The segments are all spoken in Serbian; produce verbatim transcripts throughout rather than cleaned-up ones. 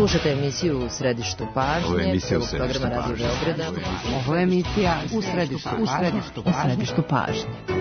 Slušajte emisiju U središtu pažnje. Ovo je emisija U središtu programa Radio Beograda. Ovo je emisija U središtu pažnje. U središtu pažnje.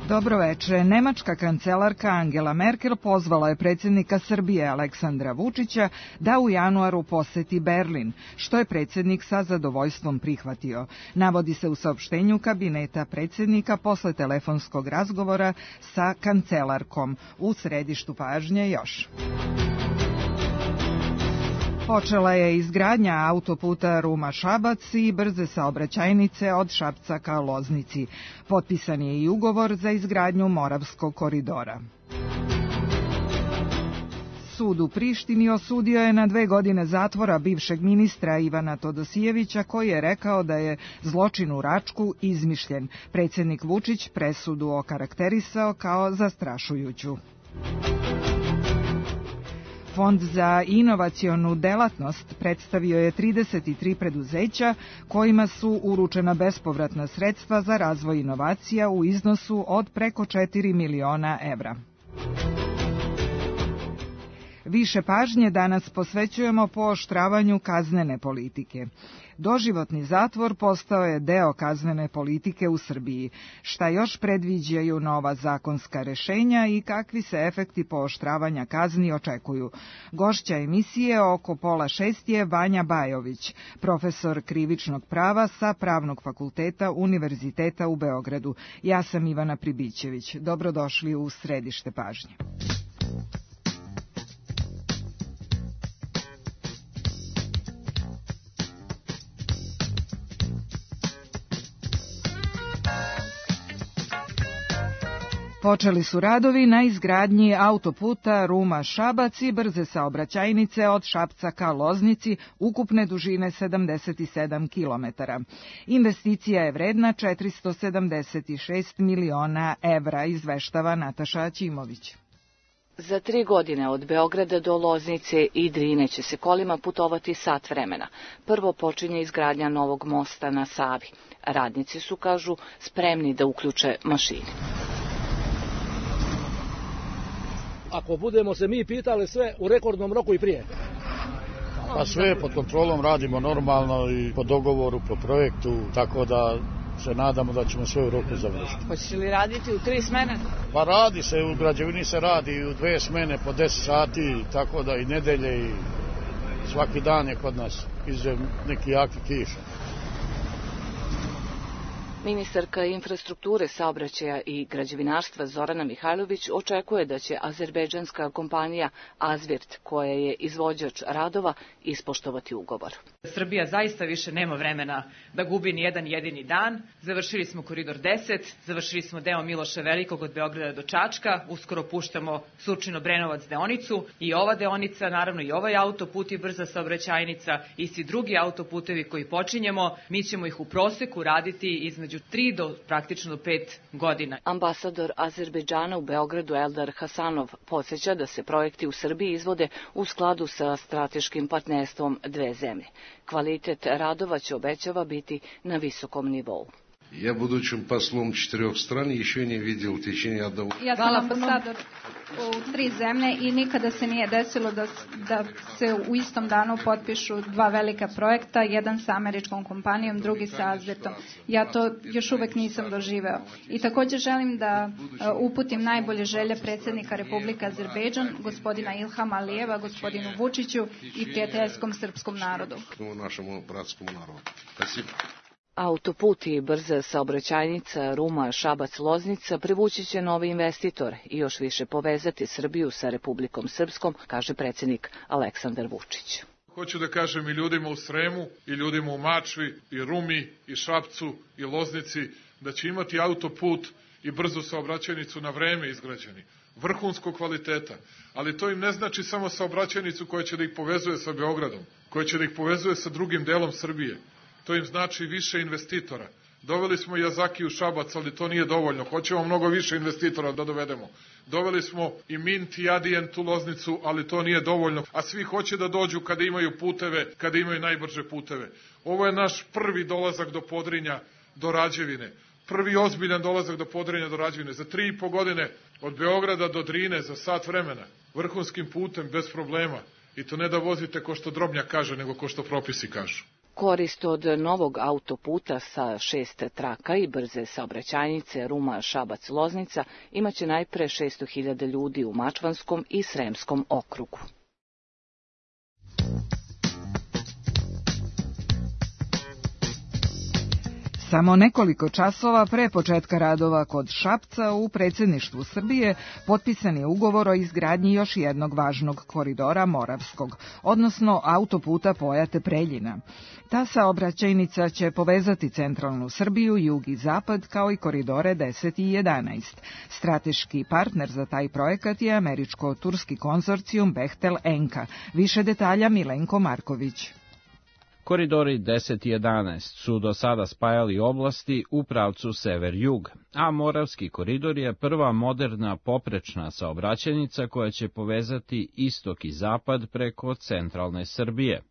Dobro veče. Nemačka kancelarka Angela Merkel pozvala je predsjednika Srbije Aleksandra Vučića da u januaru poseti Berlin, što je predsjednik sa zadovoljstvom prihvatio. Navodi se u saopštenju kabineta predsjednika posle telefonskog razgovora sa kancelarkom. U središtu pažnje još. Počela je izgradnja autoputa Ruma-Šabac i brze saobraćajnice od Šapca ka Loznici. Potpisan je i ugovor za izgradnju Moravskog koridora. Sud u Prištini osudio je na dve godine zatvora bivšeg ministra Ivana Todosijevića, koji je rekao da je zločin u Račku izmišljen. Predsjednik Vučić presudu okarakterisao kao zastrašujuću. Fond za inovacionu delatnost predstavio je trideset tri preduzeća kojima su uručena bespovratna sredstva za razvoj inovacija u iznosu od preko četiri miliona evra. Više pažnje danas posvećujemo pooštravanju kaznene politike. Doživotni zatvor postao je deo kaznene politike u Srbiji. Šta još predviđaju nova zakonska rešenja i kakvi se efekti pooštravanja kazni očekuju? Gošća emisije oko pola šest je Vanja Bajović, profesor krivičnog prava sa Pravnog fakulteta Univerziteta u Beogradu. Ja sam Ivana Pribićević. Dobrodošli u središte pažnje. Počeli su radovi na izgradnji autoputa Ruma-Šabac i brze saobraćajnice od Šapca ka Loznici ukupne dužine sedamdeset sedam kilometara. Investicija je vredna četiristo sedamdeset šest miliona evra, izveštava Nataša Aćimović. Za tri godine od Beograda do Loznice i Drine će se kolima putovati sat vremena. Prvo počinje izgradnja novog mosta na Savi. Radnici su, kažu, spremni da uključe mašine. Ako budemo se mi pitali sve u rekordnom roku i prije. Pa sve pod kontrolom radimo normalno i po dogovoru, po projektu, tako da se nadamo da ćemo sve u roku završiti. Hoće li raditi u tri smene? Pa radi se, u građevini se radi u dve smene po deset sati, tako da i nedelje i svaki dan je kod nas izuzev neki jaki kiša. Ministarka infrastrukture, saobraćaja i građevinarstva Zorana Mihajlović očekuje da će azerbejdžanska kompanija Azvirt, koja je izvođač radova, ispoštovati ugovor. Srbija zaista više nema vremena da gubi ni jedan jedini dan. Završili smo koridor deset, završili smo deo Miloša Velikog od Beograda do Čačka, uskoro puštamo Surčino-Brenovac deonicu i ova deonica, naravno i ovaj autoput i brza saobraćajnica i svi drugi autoputevi koji počinjemo, mi ćemo ih u proseku raditi između tri do praktično pet godina. Ambasador Azerbejdžana u Beogradu Eldar Hasanov podsjeća da se projekti u Srbiji izvode u skladu sa strateškim partnerstvom dve zemlje. Kvalitet radova će, obećava, biti na visokom nivou. Я, будучим послом четырех стран, еще не видел в течение одного... Ja sam ambasador u tri zemlje i nikada se nije desilo da, da se u istom danu potpišu dva velika projekta, jedan sa američkom kompanijom, drugi sa Azvirtom. Ja to još uvek nisam doživeo. I također želim da uputim najbolje želje predsjednika Republike Azerbejdžan, gospodina Ilhama Alijeva, gospodinu Vučiću i prijateljskom srpskom narodu. Našemu bratskom narodu. Спасибо. Autoput i brza saobraćajnica Ruma-Šabac-Loznica privući će novi investitor i još više povezati Srbiju sa Republikom Srpskom, kaže predsjednik Aleksandar Vučić. Hoću da kažem i ljudima u Sremu, i ljudima u Mačvi, i Rumi, i Šapcu, i Loznici, da će imati autoput i brzu saobraćajnicu na vreme izgrađeni, vrhunskog kvaliteta, ali to im ne znači samo saobraćajnicu koja će da ih povezuje sa Beogradom, koja će da ih povezuje sa drugim delom Srbije. To im znači više investitora. Doveli smo Yazaki u Šabac, ali to nije dovoljno. Hoćemo mnogo više investitora da dovedemo. Doveli smo i Mint i Adient u Loznicu, ali to nije dovoljno. A svi hoće da dođu kada imaju puteve, kada imaju najbrže puteve. Ovo je naš prvi dolazak do Podrinja, do Rađevine. Prvi ozbiljan dolazak do Podrinja, do Rađevine. Za tri i po godine od Beograda do Drine, za sat vremena. Vrhunskim putem, bez problema. I to ne da vozite ko što Drobnjak kaže, nego ko što propisi kažu. Korist od novog autoputa sa šest traka i brze saobraćajnice Ruma-Šabac-Loznica imaće najpre šesto hiljada ljudi u Mačvanskom i Sremskom okrugu. Samo nekoliko časova pre početka radova kod Šapca u predsjedništvu Srbije potpisan je ugovor o izgradnji još jednog važnog koridora Moravskog, odnosno autoputa Pojate-Preljina. Ta saobraćajnica će povezati centralnu Srbiju, jug i zapad, kao i koridore deset i jedanaest. Strateški partner za taj projekat je američko-turski konzorcijum Bechtel Enka. Više detalja Milenko Marković. Koridori deset i jedanaest su do sada spajali oblasti u pravcu sever-jug, a Moravski koridor je prva moderna poprečna saobraćajnica koja će povezati istok i zapad preko centralne Srbije.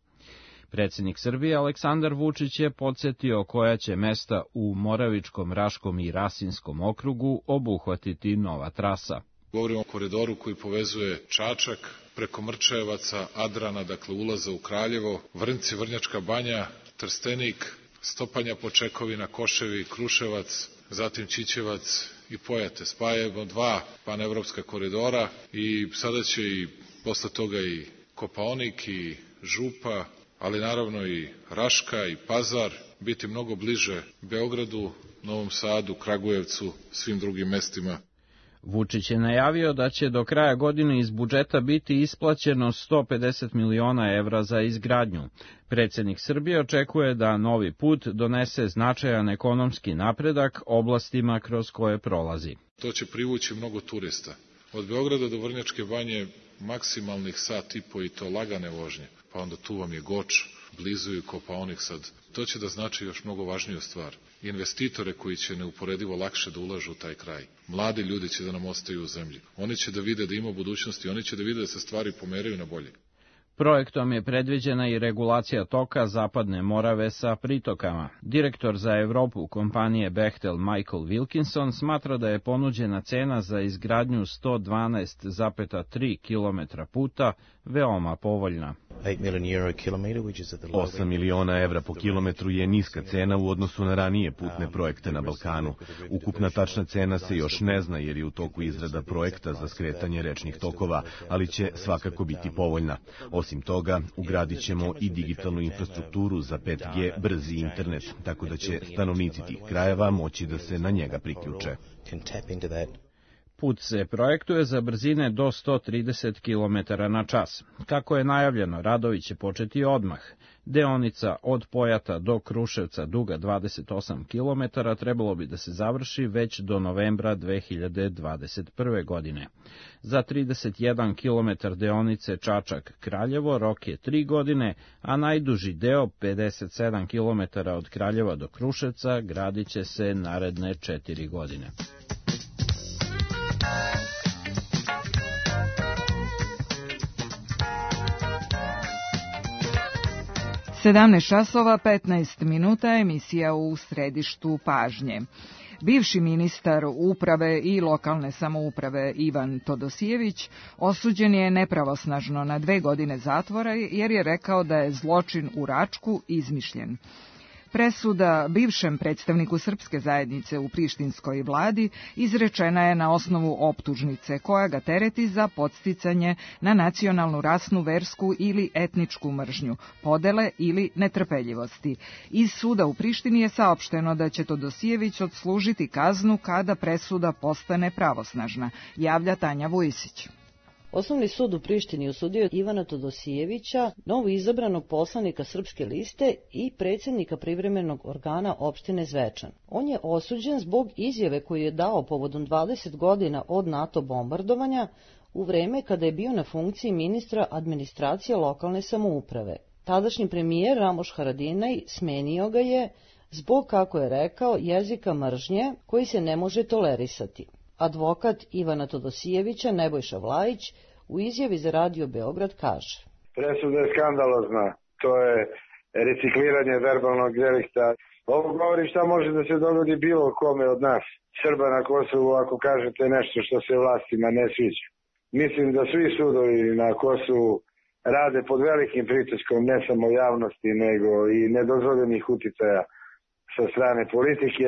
Predsjednik Srbije Aleksandar Vučić je podsjetio koja će mesta u Moravičkom, Raškom i Rasinskom okrugu obuhvatiti nova trasa. Govorimo o koridoru koji povezuje Čačak preko Mrčajevaca, Adrana, dakle ulaza u Kraljevo, Vrnci, Vrnjačka Banja, Trstenik, Stopanja Počekovina, Koševi, Kruševac, zatim Ćićevac i Pojate. Spajamo dva panevropska koridora i sada će i posle toga i Kopaonik i Župa, ali naravno i Raška i Pazar biti mnogo bliže Beogradu, Novom Sadu, Kragujevcu, svim drugim mestima. Vučić je najavio da će do kraja godine iz budžeta biti isplaćeno sto pedeset miliona evra za izgradnju. Predsjednik Srbije očekuje da novi put donese značajan ekonomski napredak oblastima kroz koje prolazi. To će privući mnogo turista. Od Beograda do Vrnjačke Banje maksimalnih sat i po i to lagane vožnje, pa onda tu vam je Goč, blizu i Kopaonik sad. To će da znači još mnogo važniju stvar. Investitore koji će neuporedivo lakše da ulažu u taj kraj. Mladi ljudi će da nam ostaju u zemlji. Oni će da vide da ima budućnosti, oni će da vide da se stvari pomeraju na bolje. Projektom je predviđena i regulacija toka Zapadne Morave sa pritokama. Direktor za Evropu kompanije Bechtel Michael Wilkinson smatra da je ponuđena cena za izgradnju sto dvanaest zarez tri kilometra puta veoma povoljna. osam miliona evra po kilometru je niska cena u odnosu na ranije putne projekte na Balkanu. Ukupna tačna cena se još ne zna jer je u toku izrada projekta za skretanje rečnih tokova, ali će svakako biti povoljna. Osim toga, ugradit ćemo i digitalnu infrastrukturu za pet G brzi internet, tako da će stanovnici tih krajeva moći da se na njega priključe. Put se projektuje za brzine do sto trideset kilometara na čas. Kako je najavljeno, radovi će početi odmah. Deonica od Pojata do Kruševca duga dvadeset osam kilometara trebalo bi da se završi već do novembra dve hiljade dvadeset prve. godine. Za trideset jedan kilometar deonice Čačak-Kraljevo rok je tri godine, a najduži deo pedeset sedam kilometara od Kraljeva do Kruševca gradit će se naredne četiri godine. sedamnaest časova petnaest minuta, emisija u središtu pažnje. Bivši ministar uprave i lokalne samouprave Ivan Todosijević osuđen je nepravosnažno na dve godine zatvora jer je rekao da je zločin u Račku izmišljen. Presuda bivšem predstavniku srpske zajednice u prištinskoj vladi izrečena je na osnovu optužnice koja ga tereti za podsticanje na nacionalnu, rasnu, versku ili etničku mržnju, podele ili netrpeljivosti. Iz suda u Prištini je saopšteno da će Todosijević odslužiti kaznu kada presuda postane pravosnažna, javlja Tanja Vujisić. Osnovni sud u Prištini osudio Ivana Todosijevića, novo izabranog poslanika Srpske liste i predsjednika privremenog organa opštine Zvečan. On je osuđen zbog izjave koju je dao povodom dvadeset godina od NATO bombardovanja u vreme kada je bio na funkciji ministra administracije lokalne samouprave. Tadašnji premijer Ramoš Haradinaj smenio ga je zbog, kako je rekao, jezika mržnje koji se ne može tolerisati. Advokat Ivana Todosijevića Nebojša Vlajić u izjavi za Radio Beograd kaže: Presuda je skandalozna, to je recikliranje verbalnog delikta. Ovo govori šta može da se dogodi bilo kome od nas, Srba na Kosovu, ako kažete nešto što se vlastima ne sviđa. Mislim da svi sudovi na Kosovu rade pod velikim pritiskom ne samo javnosti, nego i nedozvoljenih uticaja sa strane politike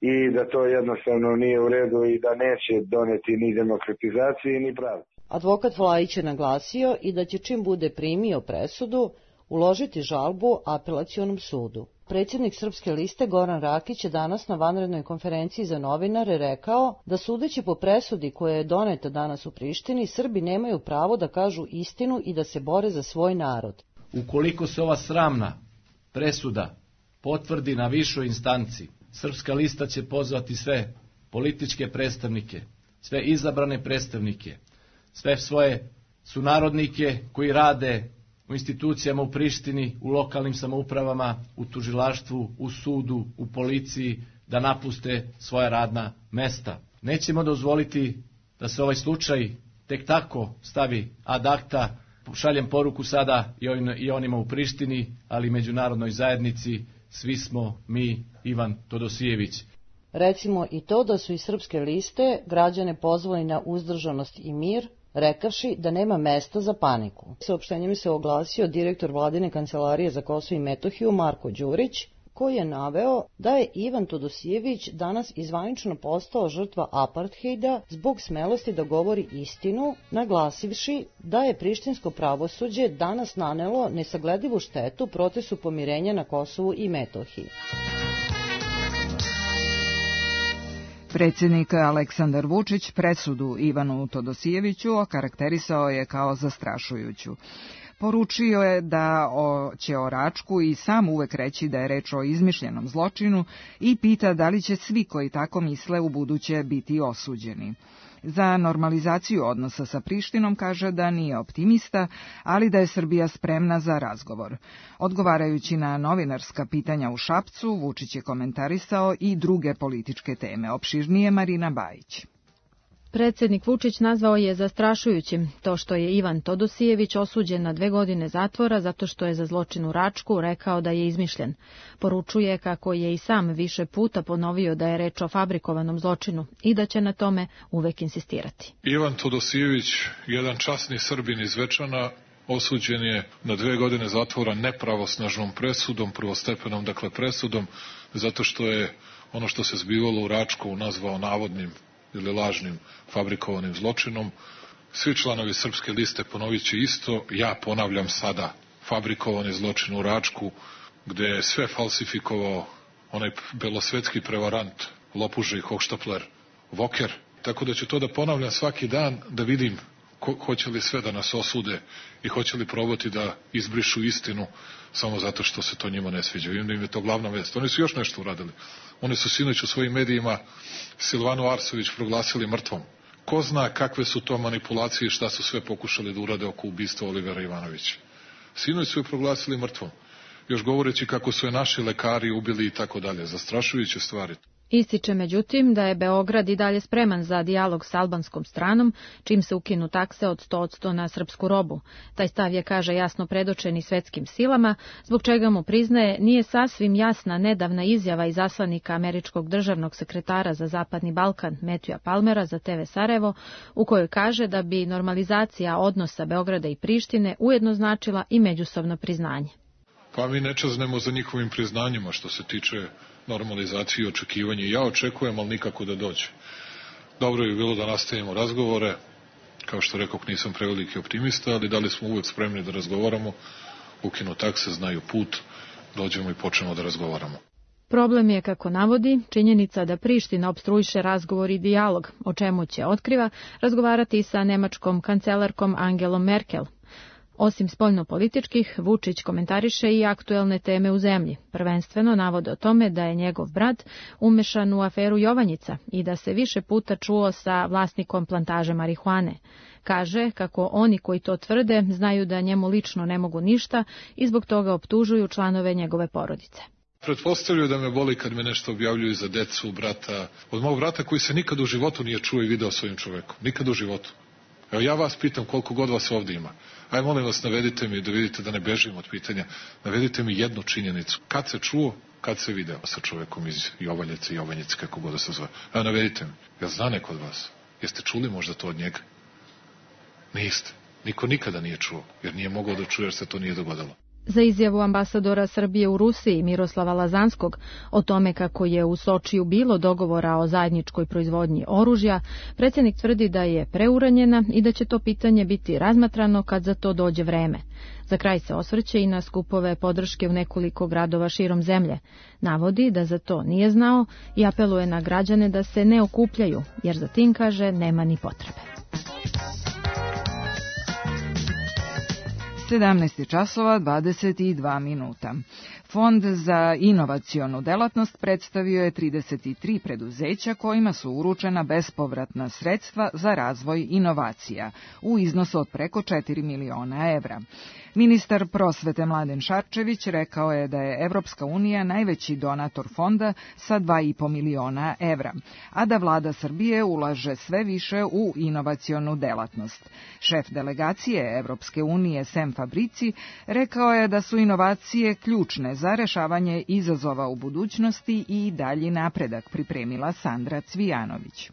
i da to jednostavno nije u redu i da neće doneti ni demokratizaciji ni pravdi. Advokat Vlajić je naglasio i da će čim bude primio presudu uložiti žalbu apelacionom sudu. Predsjednik Srpske liste Goran Rakić je danas na vanrednoj konferenciji za novinare rekao da sudeći po presudi koja je doneta danas u Prištini, Srbi nemaju pravo da kažu istinu i da se bore za svoj narod. Ukoliko se ova sramna presuda potvrdi na višoj instanci, Srpska lista će pozvati sve političke predstavnike, sve izabrane predstavnike, sve svoje sunarodnike koji rade u institucijama u Prištini, u lokalnim samoupravama, u tužilaštvu, u sudu, u policiji, da napuste svoja radna mesta. Nećemo dozvoliti da se ovaj slučaj tek tako stavi ad acta. Šaljem poruku sada i onima u Prištini, ali i međunarodnoj zajednici, svi smo mi Ivan Todosijević. Recimo i to da su iz Srpske liste građane pozvali na uzdržanost i mir, rekavši da nema mesta za paniku. Saopštenjem se oglasio direktor Vladine kancelarije za Kosovo i Metohiju Marko Đurić, koji je naveo da je Ivan Todosijević danas izvanično postao žrtva aparthejda zbog smelosti da govori istinu, naglasivši da je prištinsko pravosuđe danas nanelo nesagledivu štetu procesu pomirenja na Kosovu i Metohiji. Predsjednik Aleksandar Vučić presudu Ivanu Todosijeviću okarakterisao je kao zastrašujuću. Poručio je da će o Račku i sam uvek reći da je reč o izmišljenom zločinu i pita da li će svi koji tako misle u buduće biti osuđeni. Za normalizaciju odnosa sa Prištinom kaže da nije optimista, ali da je Srbija spremna za razgovor. Odgovarajući na novinarska pitanja u Šapcu, Vučić je komentarisao i druge političke teme. Opširnije Marina Bajić. Predsjednik Vučić nazvao je zastrašujućim to što je Ivan Todosijević osuđen na dve godine zatvora zato što je za zločin u Račku rekao da je izmišljen. Poručuje kako je i sam više puta ponovio da je reč o fabrikovanom zločinu i da će na tome uvek insistirati. Ivan Todosijević, jedan časni Srbin iz Zvečana, osuđen je na dve godine zatvora nepravosnažnom presudom, prvostepenom dakle presudom, zato što je ono što se zbivalo u Račku nazvao navodnim ili lažnim fabrikovanim zločinom. Svi članovi Srpske liste ponovit će isto, ja ponavljam sada, fabrikovani zločin u Račku, gde je sve falsifikovao onaj belosvetski prevarant, lopuže i hohštapler Voker. Tako da ću to da ponavljam svaki dan, da vidim ko, hoće li sve da nas osude i hoće li probati da izbrišu istinu samo zato što se to njima ne sviđa. Vidim da im je to glavna vest. Oni su još nešto uradili. Oni su sinoć u svojim medijima Silvanu Arsović proglasili mrtvom. Ko zna kakve su to manipulacije i šta su sve pokušali da urade oko ubistva Olivera Ivanovića. Sinoć su je proglasili mrtvom. Još govoreći kako su je naši lekari ubili i tako dalje. Zastrašujuće stvari. Ističe međutim da je Beograd i dalje spreman za dijalog s albanskom stranom, čim se ukinu takse od sto posto na srpsku robu. Taj stav je, kaže, jasno predočen i svetskim silama, zbog čega mu priznaje nije sasvim jasna nedavna izjava izaslanika američkog državnog sekretara za Zapadni Balkan Matthewa Palmera za te ve Sarajevo, u kojoj kaže da bi normalizacija odnosa Beograda i Prištine ujedno značila i međusobno priznanje. Pa mi ne čaznemo za njihovim priznanjima što se tiče normalizacije i očekivanja. Ja očekujem, ali nikako da dođe. Dobro je bilo da nastavimo razgovore. Kao što rekao, nisam preveliki optimista, ali da li smo uvek spremni da razgovaramo. Ukinu takse, znaju put, dođemo i počnemo da razgovaramo. Problem je, kako navodi, činjenica da Priština opstruiše razgovor i dijalog, o čemu će, otkriva, razgovarati sa nemačkom kancelarkom Angelom Merkel. Osim spoljnopolitičkih, Vučić komentariše i aktuelne teme u zemlji. Prvenstveno navode o tome da je njegov brat umešan u aferu Jovanjica i da se više puta čuo sa vlasnikom plantaže marihuane. Kaže kako oni koji to tvrde znaju da njemu lično ne mogu ništa i zbog toga optužuju članove njegove porodice. Pretpostavljaju da me boli kad me nešto objavljuju za decu, brata, od mog brata koji se nikad u životu nije čuo i video svojim čovekom. Nikad u životu. Evo ja vas pitam koliko god vas ovdje ima. Aj molim vas, navedite mi da vidite da ne bežim od pitanja. Navedite mi jednu činjenicu. Kad se čuo, kad se video sa čovekom iz Jovaljeca i Jovanjice, kako god da se zove. Evo navedite mi. Ja zna neko od vas. Jeste čuli možda to od njega? Niste. Niko nikada nije čuo, jer nije mogao da čuje jer se to nije dogodilo. Za izjavu ambasadora Srbije u Rusiji Miroslava Lazanskog o tome kako je u Sočiju bilo dogovora o zajedničkoj proizvodnji oružja, predsjednik tvrdi da je preuranjena i da će to pitanje biti razmatrano kad za to dođe vreme. Za kraj se osvrće i na skupove podrške u nekoliko gradova širom zemlje. Navodi da za to nije znao i apeluje na građane da se ne okupljaju, jer za tim, kaže, nema ni potrebe. sedamnaest časova dvadeset dva minuta. Fond za inovacionu delatnost predstavio je trideset tri preduzeća kojima su uručena bespovratna sredstva za razvoj inovacija u iznosu od preko četiri miliona evra. Ministar prosvete Mladen Šarčević rekao je da je Evropska unija najveći donator fonda sa dva i po miliona evra, a da vlada Srbije ulaže sve više u inovacionu delatnost. Šef delegacije Evropske unije Sem Fabrici rekao je da su inovacije ključne za rešavanje izazova u budućnosti i dalji napredak, pripremila Sandra Cvijanović.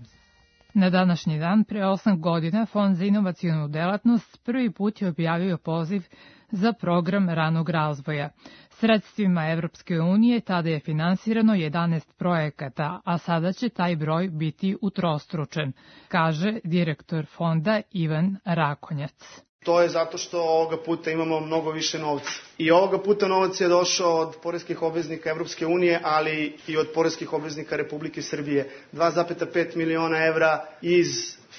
Na današnji dan, pre osam godina, Fond za inovacionu delatnost prvi put je objavio poziv za program ranog razvoja. Sredstvima Evropske unije tada je finansirano jedanaest projekata, a sada će taj broj biti utrostručen, kaže direktor fonda Ivan Rakonjac. To je zato što ovoga puta imamo mnogo više novca. I ovoga puta novac je došao od poreskih obveznika Evropske unije, ali i od poreskih obveznika Republike Srbije. dva zarez pet miliona evra iz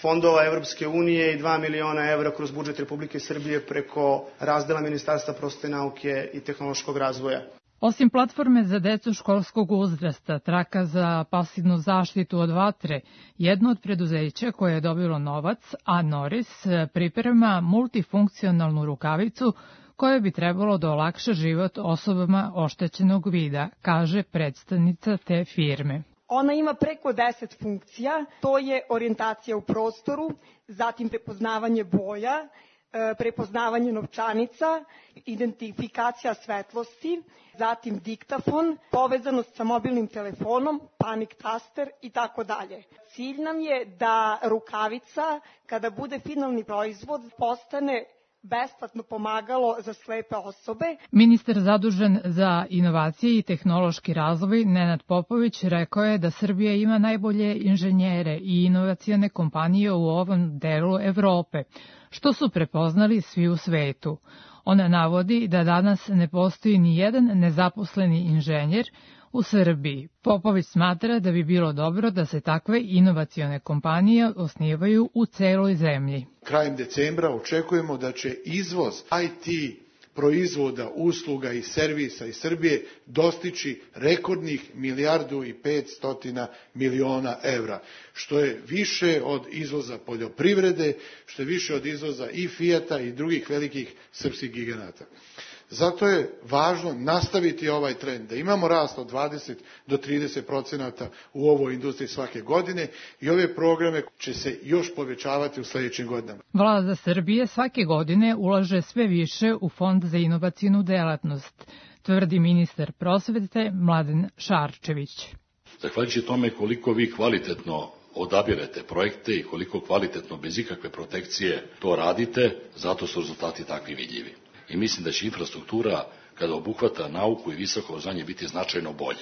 fondova Evropske unije i dva miliona evra kroz budžet Republike Srbije preko razdela Ministarstva prosvete, nauke i tehnološkog razvoja. Osim platforme za decu školskog uzrasta, traka za pasivnu zaštitu od vatre, jedno od preduzeća koje je dobilo novac, A Norris, priprema multifunkcionalnu rukavicu koja bi trebalo da olakša život osobama oštećenog vida, kaže predstavnica te firme. Ona ima preko deset funkcija, to je orijentacija u prostoru, zatim prepoznavanje boja, prepoznavanje novčanica, identifikacija svetlosti, zatim diktafon, povezanost sa mobilnim telefonom, panik taster i tako dalje. Cilj nam je da rukavica, kada bude finalni proizvod, postane besplatno pomagalo za slepe osobe. Ministar zadužen za inovacije i tehnološki razvoj Nenad Popović rekao je da Srbija ima najbolje inženjere i inovacione kompanije u ovom delu Evrope, što su prepoznali svi u svetu. Ona navodi da danas ne postoji ni jedan nezaposleni inženjer u Srbiji. Popović smatra da bi bilo dobro da se takve inovacione kompanije osnivaju u celoj zemlji. Krajem decembra očekujemo da će izvoz I T proizvoda, usluga i servisa iz Srbije dostići rekordnih milijardu i petstotina miliona evra, što je više od izvoza poljoprivrede, što je više od izvoza i Fijata i drugih velikih srpskih giganata. Zato je važno nastaviti ovaj trend, da imamo rast od dvadeset do trideset procenata u ovoj industriji svake godine i ove programe će se još povećavati u sljedećim godinama. Vlada Srbije svake godine ulaže sve više u Fond za inovacionu delatnost, tvrdi ministar prosvete Mladen Šarčević. Zahvaljujući tome koliko vi kvalitetno odabirete projekte i koliko kvalitetno bez ikakve protekcije to radite, zato su rezultati takvi vidljivi. I mislim da će infrastruktura, kada obuhvata nauku i visoko obrazovanje, biti značajno bolje.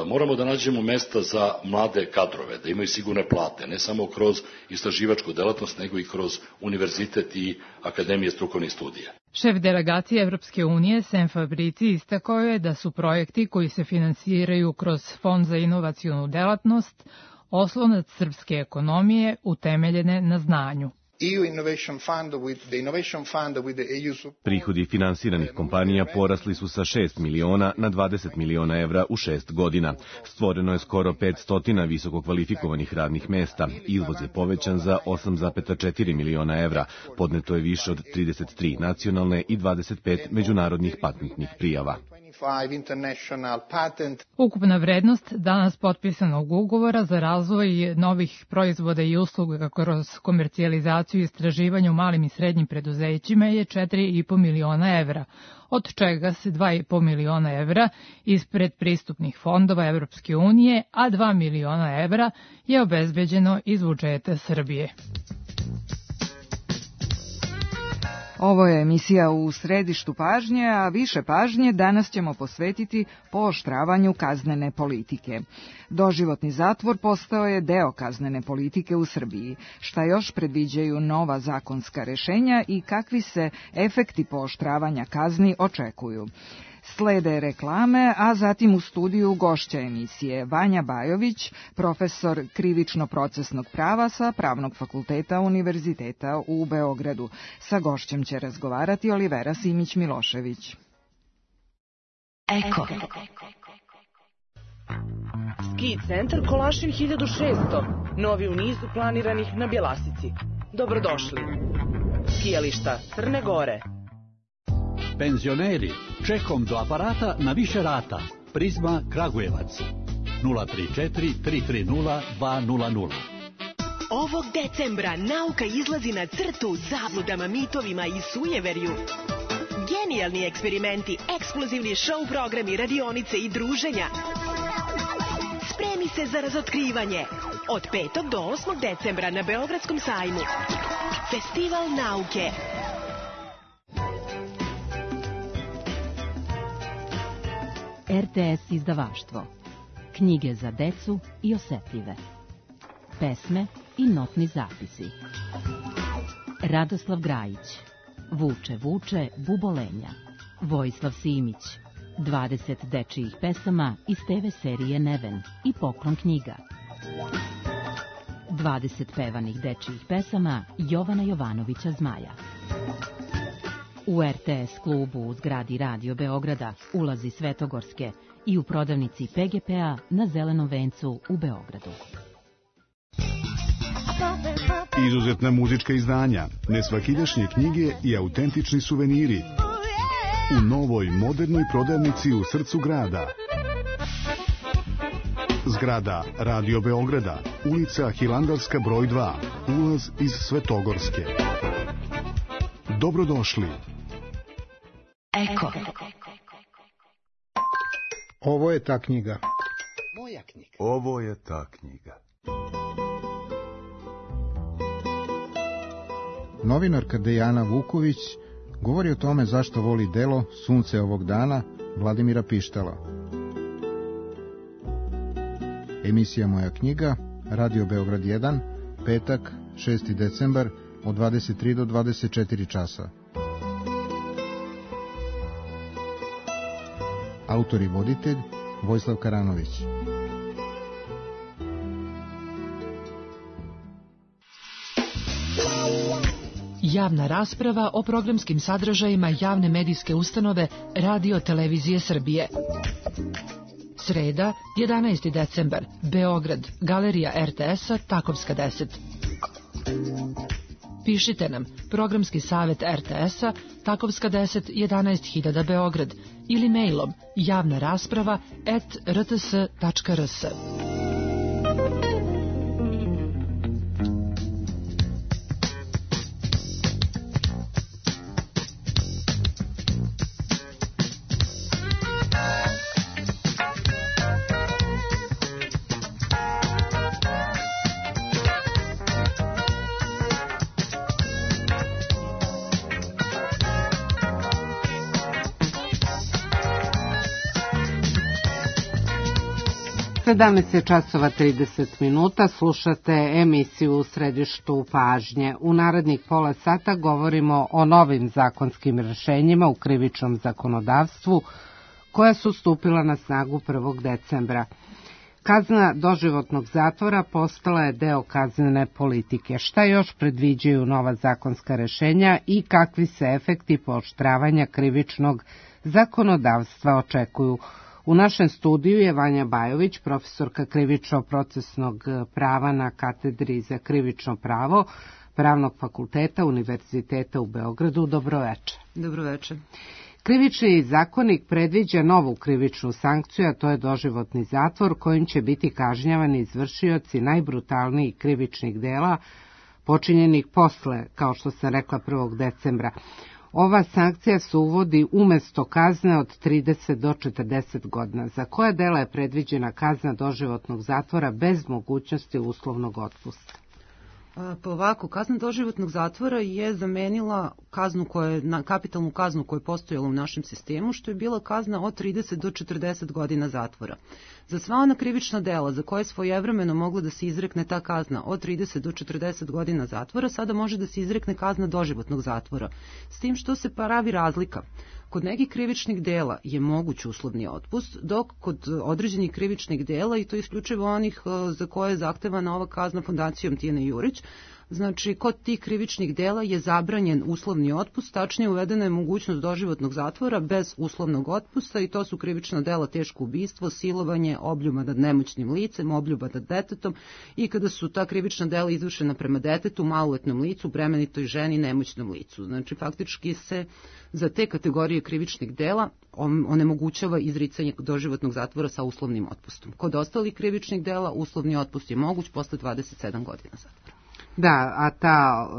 Moramo da nađemo mesta za mlade kadrove, da imaju sigurne plate, ne samo kroz istraživačku delatnost, nego i kroz univerzitet i akademije strukovnih studija. Šef delegacije Evropske unije Sem Fabrici istakao je da su projekti koji se finansiraju kroz Fond za inovacionu delatnost oslonac srpske ekonomije utemeljene na znanju. Prihodi finansiranih kompanija porasli su sa šest miliona na dvadeset miliona evra u šest godina. Stvoreno je skoro petsto visoko kvalifikovanih radnih mesta. Izvoz je povećan za osam zarez četiri miliona evra. Podneto je više od trideset tri nacionalne i dvadeset pet međunarodnih patentnih prijava. Ukupna vrednost danas potpisanog ugovora za razvoj novih proizvoda i usluga kroz komercijalizaciju i istraživanje u malim i srednjim preduzećima je četiri i po miliona evra, od čega se dva i po miliona evra iz predpristupnih fondova Evropske unije, a dva miliona evra je obezbeđeno iz budžeta Srbije. Ovo je emisija U središtu pažnje, a više pažnje danas ćemo posvetiti pooštravanju kaznene politike. Doživotni zatvor postao je deo kaznene politike u Srbiji. Šta još predviđaju nova zakonska rešenja i kakvi se efekti pooštravanja kazni očekuju? Slede reklame, a zatim u studiju gošća emisije Vanja Bajović, profesor krivično-procesnog prava sa Pravnog fakulteta Univerziteta u Beogradu. Sa gošćem će razgovarati Olivera Simić-Milošević. Eko. Ski centar Kolašin hiljadu šesto, novi u nizu planiranih na Bjelasici. Dobrodošli. Skijališta Crne Gore. Penzioneri, čekom do aparata na više rata. Prizma Kragujevac. nula tri četiri tri tri nula dva nula nula. Ovog decembra nauka izlazi na crtu zabludama, mitovima i sujeverju. Genijalni eksperimenti, ekskluzivni show programi, radionice i druženja. Spremi se za razotkrivanje. Od petog do osmog decembra na Beogradskom sajmu. Festival nauke. R T S izdavaštvo. Knjige za decu i osetljive. Pesme i notni zapisi. Radoslav Grajić. Vuče, vuče, bubolenja. Vojislav Simić. dvadeset dečijih pesama iz te ve serije Neven i Poklon knjiga. dvadeset pevanih dečijih pesama Jovana Jovanovića Zmaja. U R T S klubu u zgradi Radio Beograda, ulazi Svetogorske i u prodavnici P G P-a na Zelenom vencu u Beogradu. Izuzetna muzička izdanja, nesvakidašnje knjige i autentični suveniri u novoj modernoj prodavnici u srcu grada. Zgrada Radio Beograda, ulica Hilandarska broj dva, ulaz iz Svetogorske. Dobrodošli. Eko. Ovo je ta knjiga. Moja knjiga. Ovo je ta knjiga. Novinarka Dejana Vuković govori o tome zašto voli delo Sunce ovog dana Vladimira Pištala. Emisija Moja knjiga, Radio Beograd jedan, petak, šesti decembar, od dvadeset tri do dvadeset četiri časa. Autor i voditelj Vojislav Karanović. Javna rasprava o programskim sadržajima javne medijske ustanove Radio Televizije Srbije. Sreda, jedanaesti decembar, Beograd, Galerija R T S-a, Takovska deset. Pišite nam, programski savjet R T S-a, Takovska deset, jedanaest hiljada Beograd, ili mailom javna rasprava at r t s tačka r s. sedamnaest je časova trideset minuta, slušate emisiju U središtu pažnje. U narednih pola sata govorimo o novim zakonskim rešenjima u krivičnom zakonodavstvu koja su stupila na snagu prvog decembra. Kazna doživotnog zatvora postala je deo kaznene politike. Šta još predviđaju nova zakonska rešenja i kakvi se efekti pooštravanja krivičnog zakonodavstva očekuju? U našem studiju je Vanja Bajović, profesorka krivično-procesnog prava na katedri za krivično pravo Pravnog fakulteta Univerziteta u Beogradu. Dobroveče. Dobroveče. Krivični zakonik predviđa novu krivičnu sankciju, a to je doživotni zatvor kojim će biti kažnjavani izvršioci najbrutalnijih krivičnih dela počinjenih posle, kao što sam rekla, prvog decembra. Ova sankcija se uvodi umesto kazne od trideset do četrdeset godina. Za koja dela je predviđena kazna doživotnog zatvora bez mogućnosti uslovnog otpusta? Pa ovako, kazna doživotnog zatvora je zamenila kaznu koje, na, kapitalnu kaznu koja je postojala u našem sistemu, što je bila kazna od trideset do četrdeset godina zatvora. Za sva ona krivična dela za koje je svojevremeno mogla da se izrekne ta kazna od trideset do četrdeset godina zatvora, sada može da se izrekne kazna doživotnog zatvora. S tim što se pravi razlika. Kod nekih krivičnih dela je moguć uslovni otpust, dok kod određenih krivičnih dela, i to isključivo onih za koje je zahtevana ova kazna fondacijom Tijane Jurić, znači kod tih krivičnih dela je zabranjen uslovni otpust, tačnije uvedena je mogućnost doživotnog zatvora bez uslovnog otpusta i to su krivična dela teško ubistvo, silovanje, obljuba nad nemoćnim licem, obljuba nad detetom i kada su ta krivična dela izvršena prema detetu, maloletnom licu, bremenitoj ženi, nemoćnom licu. Znači faktički se za te kategorije krivičnih dela onemogućava izricanje doživotnog zatvora sa uslovnim otpustom. Kod ostalih krivičnih dela uslovni otpust je moguć posle dvadeset sedam godina zatvora. Da, a ta e,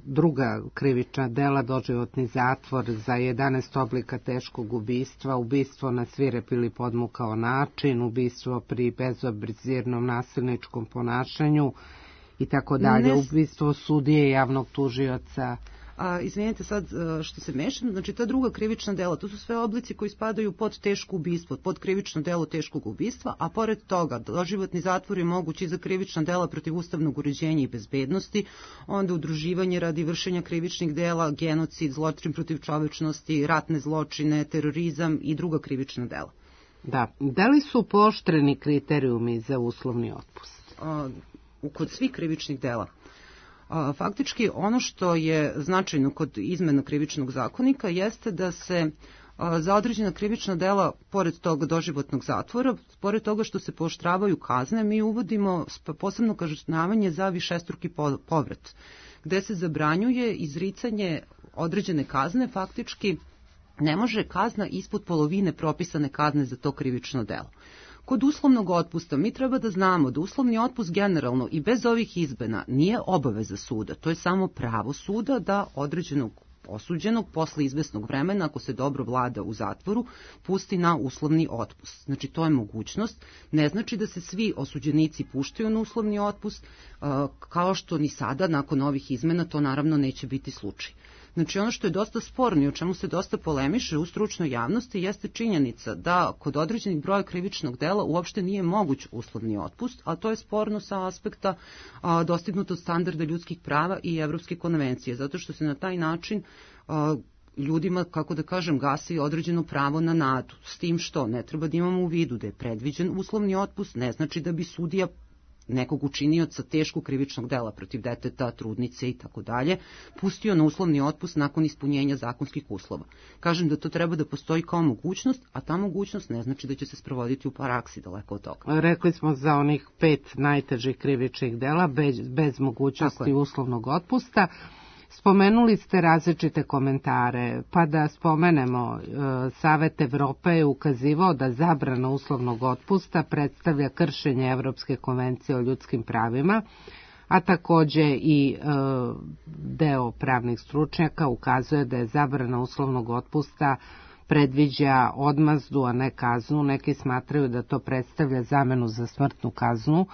druga krivična dela, doživotni zatvor za jedanaest oblika teškog ubistva, ubistvo na svirep ili podmukao način, ubistvo pri bezobzirnom nasilničkom ponašanju i tako dalje, ubistvo sudije, javnog tužioca. A, izvinite sad što se mešam, znači ta druga krivična dela, to su sve oblici koji spadaju pod teško ubistvo, pod krivično delo teškog ubistva, a pored toga doživotni zatvor je moguć i za krivična dela protiv ustavnog uređenja i bezbednosti, onda udruživanje radi vršenja krivičnih dela, genocid, zločin protiv čovečnosti, ratne zločine, terorizam i druga krivična dela. Da, da li su pooštreni kriterijumi za uslovni otpust? A, kod svih krivičnih dela. Faktički ono što je značajno kod izmena krivičnog zakonika jeste da se za određena krivična dela, pored toga doživotnog zatvora, pored toga što se pooštravaju kazne, mi uvodimo posebno kažnjavanje za višestruki povrat, gde se zabranjuje izricanje određene kazne, faktički ne može kazna ispod polovine propisane kazne za to krivično delo. Kod uslovnog otpusta mi treba da znamo da uslovni otpust generalno i bez ovih izmena nije obaveza suda, to je samo pravo suda da određenog osuđenog posle izvesnog vremena, ako se dobro vlada u zatvoru, pusti na uslovni otpust. Znači to je mogućnost, ne znači da se svi osuđenici puštaju na uslovni otpust, kao što ni sada nakon ovih izmena to naravno neće biti slučaj. Znači ono što je dosta sporno i o čemu se dosta polemiše u stručnoj javnosti jeste činjenica da kod određenih broja krivičnog dela uopšte nije moguć uslovni otpust, a to je sporno sa aspekta a, dostignutog standarda ljudskih prava i Evropske konvencije, zato što se na taj način a, ljudima, kako da kažem, gasi određeno pravo na nadu, s tim što ne treba da imamo u vidu da je predviđen uslovni otpust, ne znači da bi sudija nekog učinioca teškog krivičnog dela protiv deteta, trudnice i tako dalje, pustio na uslovni otpust nakon ispunjenja zakonskih uslova. Kažem da to treba da postoji kao mogućnost, a ta mogućnost ne znači da će se sprovoditi u praksi, daleko od toga. Rekli smo za onih pet najtežih krivičnih dela bez, bez mogućnosti uslovnog otpusta. Spomenuli ste različite komentare, pa da spomenemo, Savet Evrope je ukazivao da zabrana uslovnog otpusta predstavlja kršenje Evropske konvencije o ljudskim pravima, a takođe i e, deo pravnih stručnjaka ukazuje da je zabrana uslovnog otpusta predviđa odmazdu, a ne kaznu. Neki smatraju da to predstavlja zamenu za smrtnu kaznu,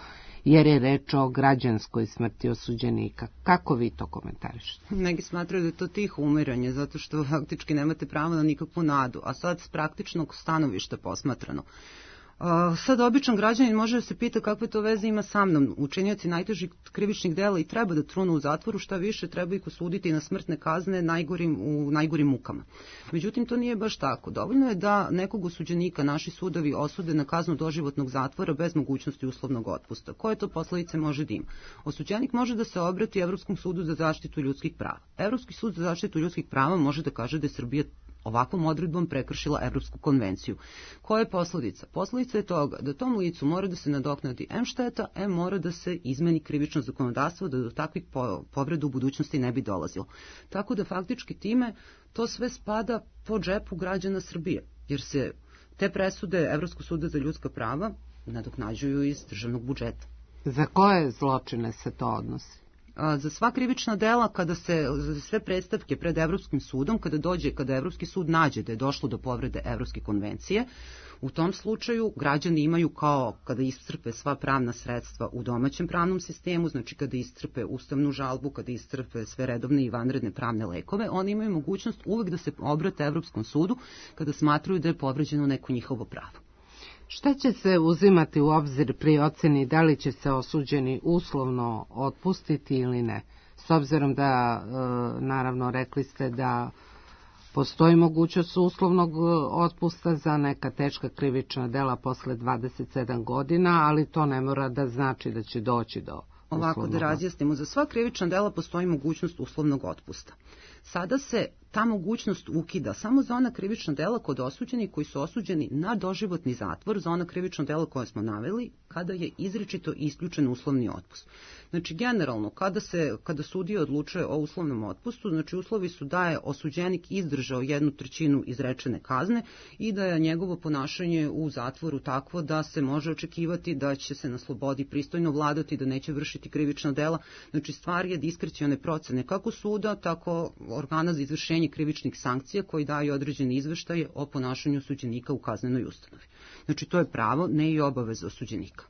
jer je reč o građanskoj smrti osuđenika. Kako vi to komentarišete? Neki smatraju da je to tiho umiranje, zato što faktički nemate pravo na nikakvu nadu, a sad s praktičnog stanovišta posmatrano. Sad običan građanin može da se pita kakve to veze ima sa mnom. Učinioci najtežih krivičnih dela i treba da trunu u zatvoru, šta više treba ih osuditi na smrtne kazne najgorim, u najgorim mukama. Međutim, to nije baš tako. Dovoljno je da nekog osuđenika naši sudovi osude na kaznu doživotnog zatvora bez mogućnosti uslovnog otpusta. Koje to posledice može da ima? Osuđenik može da se obrati Evropskom sudu za zaštitu ljudskih prava. Evropski sud za zaštitu ljudskih prava može da kaže da je Srbija ovakvom odredbom prekršila Evropsku konvenciju. Koja je posledica? Posledica je toga da tom licu mora da se nadoknadi em šteta, em mora da se izmeni krivično zakonodavstvo da do takvih povreda u budućnosti ne bi dolazilo. Tako da faktički time to sve spada po džepu građana Srbije, jer se te presude Evropskog suda za ljudska prava nadoknađuju iz državnog budžeta. Za koje zločine se to odnosi? Za sva krivična dela, kada se, za sve predstavke pred Evropskim sudom, kada dođe, kada Evropski sud nađe da je došlo do povrede Evropske konvencije, u tom slučaju građani imaju kao kada iscrpe sva pravna sredstva u domaćem pravnom sistemu, znači kada iscrpe ustavnu žalbu, kada iscrpe sve redovne i vanredne pravne lekove, oni imaju mogućnost uvek da se obrate Evropskom sudu kada smatraju da je povređeno neko njihovo pravo. Šta će se uzimati u obzir pri oceni da li će se osuđeni uslovno otpustiti ili ne? S obzirom da, naravno, rekli ste da postoji mogućnost uslovnog otpusta za neka teška krivična dela posle dvadeset sedam godina, ali to ne mora da znači da će doći do uslovnog. Ovako da razjasnimo, za sva krivična dela postoji mogućnost uslovnog otpusta. Sada se ta mogućnost ukida samo za ona krivična dela kod osuđenih koji su osuđeni na doživotni zatvor, za ona krivična dela koje smo naveli, kada je izričito isključen uslovni otpust. Znači, generalno, kada se, kada sudija odlučuje o uslovnom otpustu, znači uslovi su da je osuđenik izdržao jednu trećinu izrečene kazne i da je njegovo ponašanje u zatvoru takvo da se može očekivati da će se na slobodi pristojno vladati, da neće vršiti krivična dela. Znači, stvar je diskrecione procene kako suda, tako organa za izvršenje krivičnih sankcija koji daju određene izveštaje o ponašanju osuđenika u kaznenoj ustanovi. Znači, to je pravo, ne i obaveza osuđenika.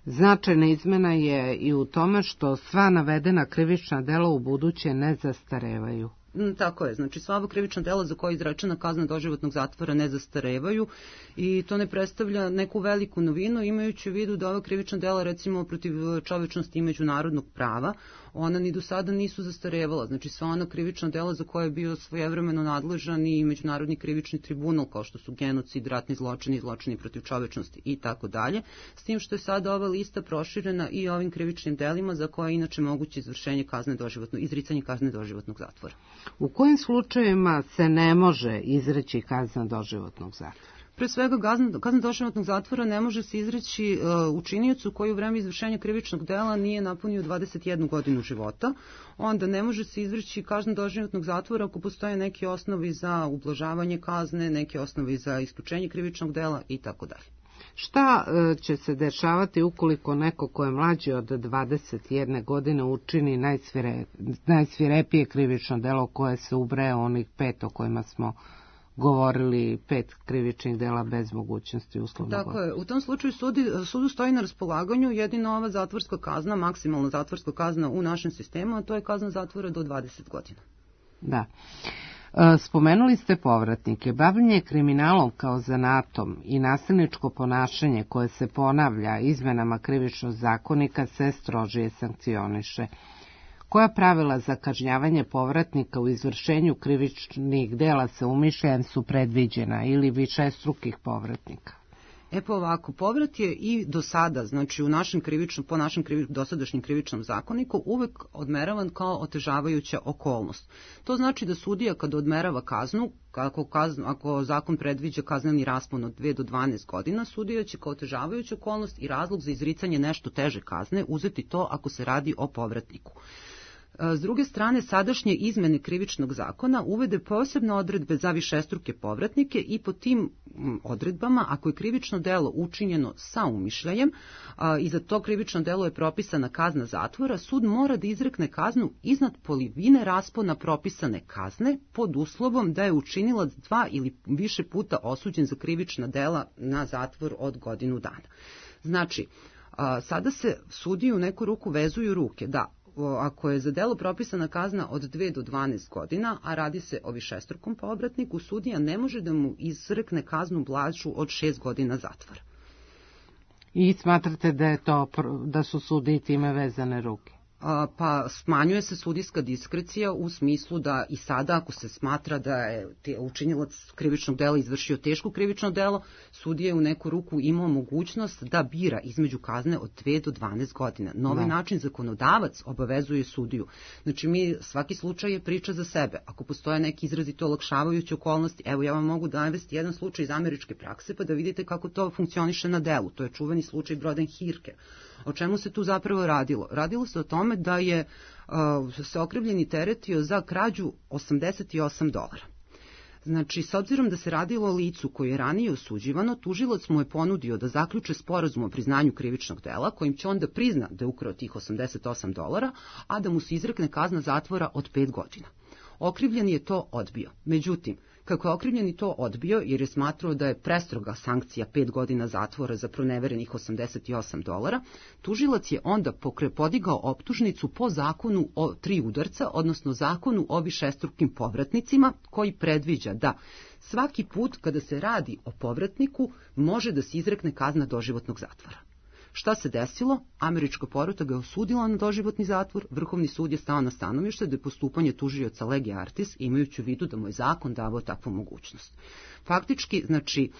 Značajna izmena je i u tome što sva navedena krivična dela u buduće ne zastarevaju. Tako je, znači sva krivična dela za koje je izrečena kazna doživotnog zatvora ne zastarevaju i to ne predstavlja neku veliku novinu, imajući u vidu da ova krivična dela, recimo protiv čovečnosti i međunarodnog prava, ona ni do sada nisu zastarevala. Znači sva ona krivična dela za koje je bio svojevremeno nadležan i Međunarodni krivični tribunal, kao što su genocid, ratni zločini, zločini protiv čovečnosti i tako dalje, s tim što je sada ova lista proširena i ovim krivičnim delima za koje je inače moguće izvršenje kazne doživotnog, izricanje kazne doživotnog zatvora. U kojim slučajevima se ne može izreći kazna doživotnog zatvora? Pre svega, kazna doživotnog zatvora ne može se izreći uh, učiniocu koji u vreme izvršenja krivičnog dela nije napunio dvadeset jednu godinu života. Onda ne može se izreći kazna doživotnog zatvora ako postoje neki osnovi za ublažavanje kazne, neki osnovi za isključenje krivičnog dela i tako dalje. Šta uh, će se dešavati ukoliko neko ko je mlađi od dvadeset jedne godine učini najsvire, najsvirepije krivično delo koje se ubraja onih pet o kojima smo govorili, pet krivičnih dela bez mogućnosti uslovnog otpusta? Tako je, u tom slučaju sudi, sudu stoji na raspolaganju jedina ova zatvorska kazna, maksimalna zatvorska kazna u našem sistemu, a to je kazna zatvora do dvadeset godina. Da. Spomenuli ste povratnike. Bavljenje kriminalom kao zanatom i nasilničko ponašanje koje se ponavlja izmenama krivičnog zakonika se strožije sankcioniše. Koja pravila za kažnjavanje povratnika u izvršenju krivičnih dela sa umišljajem su predviđena ili višestrukih povratnika? E pa ovako, povrat je i do sada, znači u našem krivičnom, po našem krivi, dosadašnjem krivičnom zakoniku uvek odmeravan kao otežavajuća okolnost. To znači da sudija kada odmerava kaznu, ako, kaznu, ako zakon predviđa kazneni raspon od dve do dvanaest godina, sudija će kao otežavajuća okolnost i razlog za izricanje nešto teže kazne uzeti to ako se radi o povratniku. S druge strane, sadašnje izmene krivičnog zakona uvede posebne odredbe za višestruke povratnike i po tim odredbama, ako je krivično delo učinjeno sa umišljajem i za to krivično delo je propisana kazna zatvora, sud mora da izrekne kaznu iznad polovine raspona propisane kazne pod uslovom da je učinilac dva ili više puta osuđen za krivična dela na zatvor od godinu dana. Znači, sada se sudiji u neku ruku vezuju ruke da ako je za delo propisana kazna od dve do dvanaest godina, a radi se o višestrukom povratniku, sudija ne može da mu izrekne kaznu blažu od šest godina zatvora. I smatrate da, je to, da su sudije time vezane ruke? Pa smanjuje se sudijska diskrecija u smislu da i sada ako se smatra da je učinilac krivičnog dela izvršio teško krivično delo, sudija je u neku ruku imao mogućnost da bira između kazne od dve do dvanaest godina. Na ovaj način zakonodavac obavezuje sudiju. Znači mi, svaki slučaj je priča za sebe. Ako postoje neki izrazito olakšavajuće okolnosti, evo ja vam mogu navesti jedan slučaj iz američke prakse pa da vidite kako to funkcioniše na delu. To je čuveni slučaj Broden-Hirke. O čemu se tu zapravo radilo? Radilo se o tome da je uh, se okrivljeni teretio za krađu osamdeset osam dolara. Znači, s obzirom da se radilo o licu koje je ranije osuđivano, tužilac mu je ponudio da zaključe sporazum o priznanju krivičnog dela, kojim će on da prizna da je ukrao tih osamdeset osam dolara, a da mu se izrekne kazna zatvora od pet godina. Okrivljeni je to odbio. Međutim, kako je okrivljeni to odbio, jer je smatrao da je prestroga sankcija pet godina zatvora za proneverenih osamdeset osam dolara, tužilac je onda podigao optužnicu po zakonu o tri udarca, odnosno zakonu o višestrukim povratnicima, koji predviđa da svaki put kada se radi o povratniku može da se izrekne kazna doživotnog zatvora. Šta se desilo? Američka porota ga je osudila na doživotni zatvor, Vrhovni sud je stao na stanovište da je postupanje tužioca lege artis, imajući u vidu da mu je zakon davao takvu mogućnost. Faktički, znači,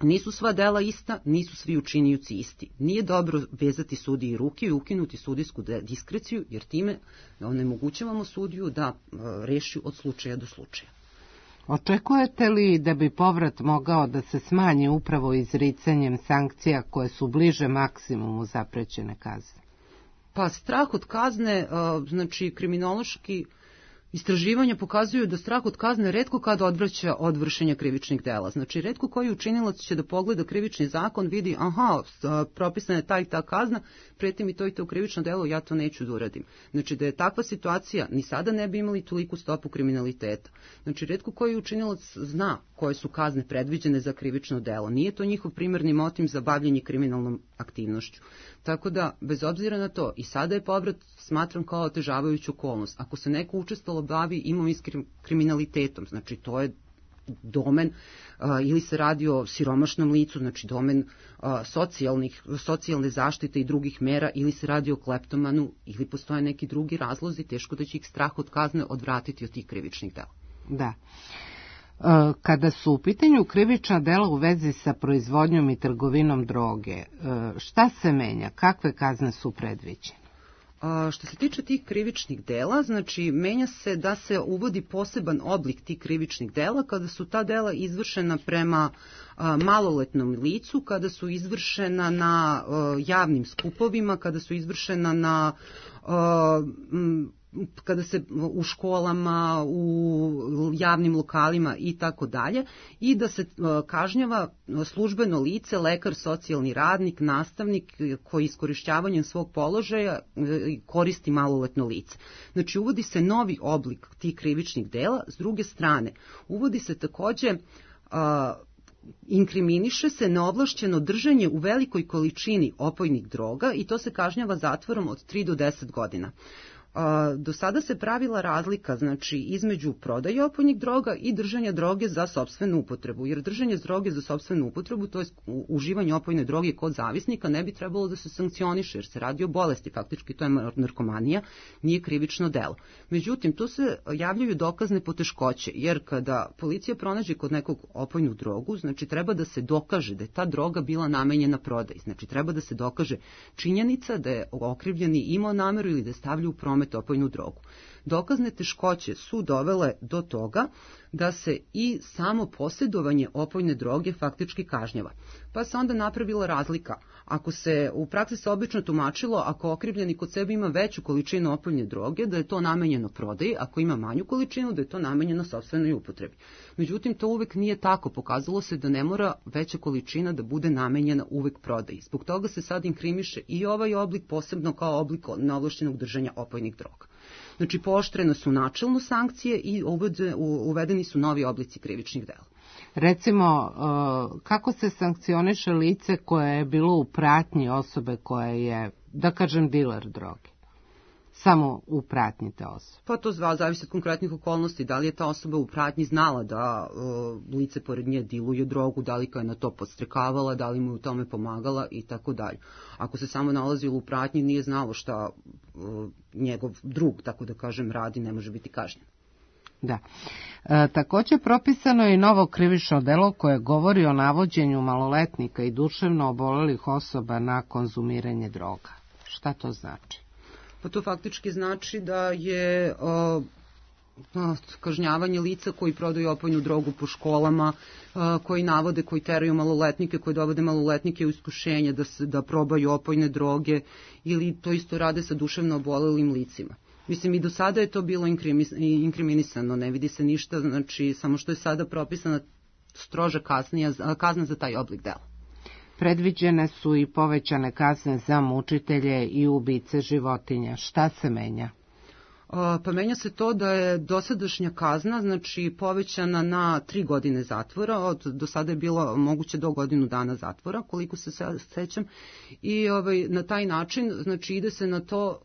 nisu sva dela ista, nisu svi učinioci isti. Nije dobro vezati sudiji ruke i ukinuti sudijsku diskreciju, jer time onemogućavamo sudiju da reši od slučaja do slučaja. Očekujete li da bi povrat mogao da se smanji upravo izricanjem sankcija koje su bliže maksimumu zaprećene kazne? Pa strah od kazne, znači kriminološki istraživanja pokazuju da strah od kazne retko kada odvraća od vršenja krivičnih dela. Znači, retko koji učinilac će da pogleda krivični zakon, vidi, aha, propisana je ta i ta kazna, preti mi to i to krivično delo, ja to neću da uradim. Znači, da je takva situacija, ni sada ne bi imali toliku stopu kriminaliteta. Znači, retko koji učinilac zna koje su kazne predviđene za krivično delo. Nije to njihov primarni motiv za bavljenje kriminalnom aktivnošću. Tako da, bez obzira na to, i sada je povrat smatram kao otežavajuću okolnost. Ako se neko učestalo bavi imovinskim kriminalitetom, znači to je domen a, ili se radi o siromašnom licu, znači domen a, socijalnih, socijalne zaštite i drugih mera, ili se radi o kleptomanu, ili postoje neki drugi razlozi, teško da će ih strah od kazne odvratiti od tih krivičnih dela. Da. Kada su u pitanju krivična dela u vezi sa proizvodnjom i trgovinom droge, šta se menja? Kakve kazne su predviđene? A, što se tiče tih krivičnih dela, znači menja se da se uvodi poseban oblik tih krivičnih dela kada su ta dela izvršena prema a, maloletnom licu, kada su izvršena na a, javnim skupovima, kada su izvršena na a, m, kada se u školama, u javnim lokalima i tako dalje, i da se kažnjava službeno lice, lekar, socijalni radnik, nastavnik koji iskorišćavanjem svog položaja koristi maloletno lice. Znači, uvodi se novi oblik tih krivičnih dela. S druge strane, uvodi se takođe a, inkriminiše se neovlašćeno držanje u velikoj količini opojnih droga i to se kažnjava zatvorom od tri do deset godina. Do sada se pravila razlika, znači, između prodaje opojnih droga i držanja droge za sopstvenu upotrebu, jer držanje droge za sopstvenu upotrebu, to je uživanje opojne droge kod zavisnika, ne bi trebalo da se sankcioniše, jer se radi o bolesti, faktički to je narkomanija, nije krivično delo. Međutim, tu se javljaju dokazne poteškoće, jer kada policija pronađe kod nekog opojnu drogu, znači treba da se dokaže da je ta droga bila namenjena prodaji, znači treba da se dokaže činjenica da je okrivljeni imao nameru ili da je stavljao u promet opojnu drogu. Dokazne teškoće su dovele do toga da se i samo posjedovanje opojne droge faktički kažnjava. Pa se onda napravila razlika. Ako se u praksi se obično tumačilo, ako okrivljeni kod sebe ima veću količinu opojne droge, da je to namenjeno prodaji, ako ima manju količinu, da je to namenjeno sopstvenoj upotrebi. Međutim, to uvek nije tako. Pokazalo se da ne mora veća količina da bude namenjena uvek prodaji. Zbog toga se sad inkrimiše i ovaj oblik, posebno kao oblik neovlašćenog držanja opojnih droga. Znači, pooštrene su načelno sankcije i uvedeni su novi oblici krivičnih dela. Recimo, kako se sankcioniše lice koje je bilo u pratnji osobe koja je, da kažem, diler droge? samo u pratnji te osobe? Pa to zva, zavisi od konkretnih okolnosti. Da li je ta osoba u pratnji znala da uh, lice pored nje diluje drogu, da li ga je na to podstrekavala, da li mu u tome pomagala i tako dalje. Ako se samo nalazilo u pratnji, nije znalo šta uh, njegov drug, tako da kažem, radi, ne može biti kažnjen. Da. E, također propisano je i novo krivično delo koje govori o navođenju maloletnika i duševno obolelih osoba na konzumiranje droga. Šta to znači? Pa to faktički znači da je o, o, kažnjavanje lica koji prodaju opojnu drogu po školama, o, koji navode, koji teraju maloletnike, koji dovode maloletnike u iskušenje da, se, da probaju opojne droge ili to isto rade sa duševno obolelim licima. Mislim, i do sada je to bilo inkriminisano, ne vidi se ništa, znači samo što je sada propisana stroža kaznija, kazna za taj oblik dela. Predviđene su i povećane kazne za mučitelje i ubice životinja. Šta se menja? Pa menja se to da je dosadašnja kazna, znači povećana na tri godine zatvora, od do sada je bilo moguće do godinu dana zatvora, koliko se sećam, i ovaj, na taj način, znači ide se na to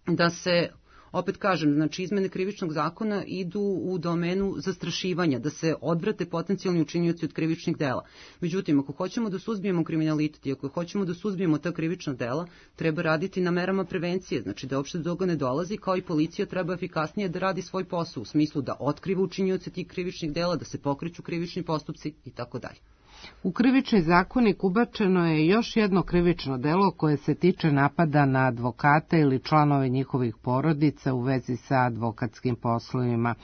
da se, opet kažem, znači izmene krivičnog zakona idu u domenu zastrašivanja, da se odvrate potencijalni učinioci od krivičnih dela. Međutim, ako hoćemo da suzbijemo kriminalitet i ako hoćemo da suzbijemo ta krivična dela, treba raditi na merama prevencije, znači da uopšte do toga ne dolazi, kao i policija treba efikasnije da radi svoj posao, u smislu da otkriva učinioce tih krivičnih dela, da se pokreću krivični postupci i tako dalje. U krivični zakonik ubačeno je još jedno krivično delo koje se tiče napada na advokate ili članove njihovih porodica u vezi sa advokatskim poslovima.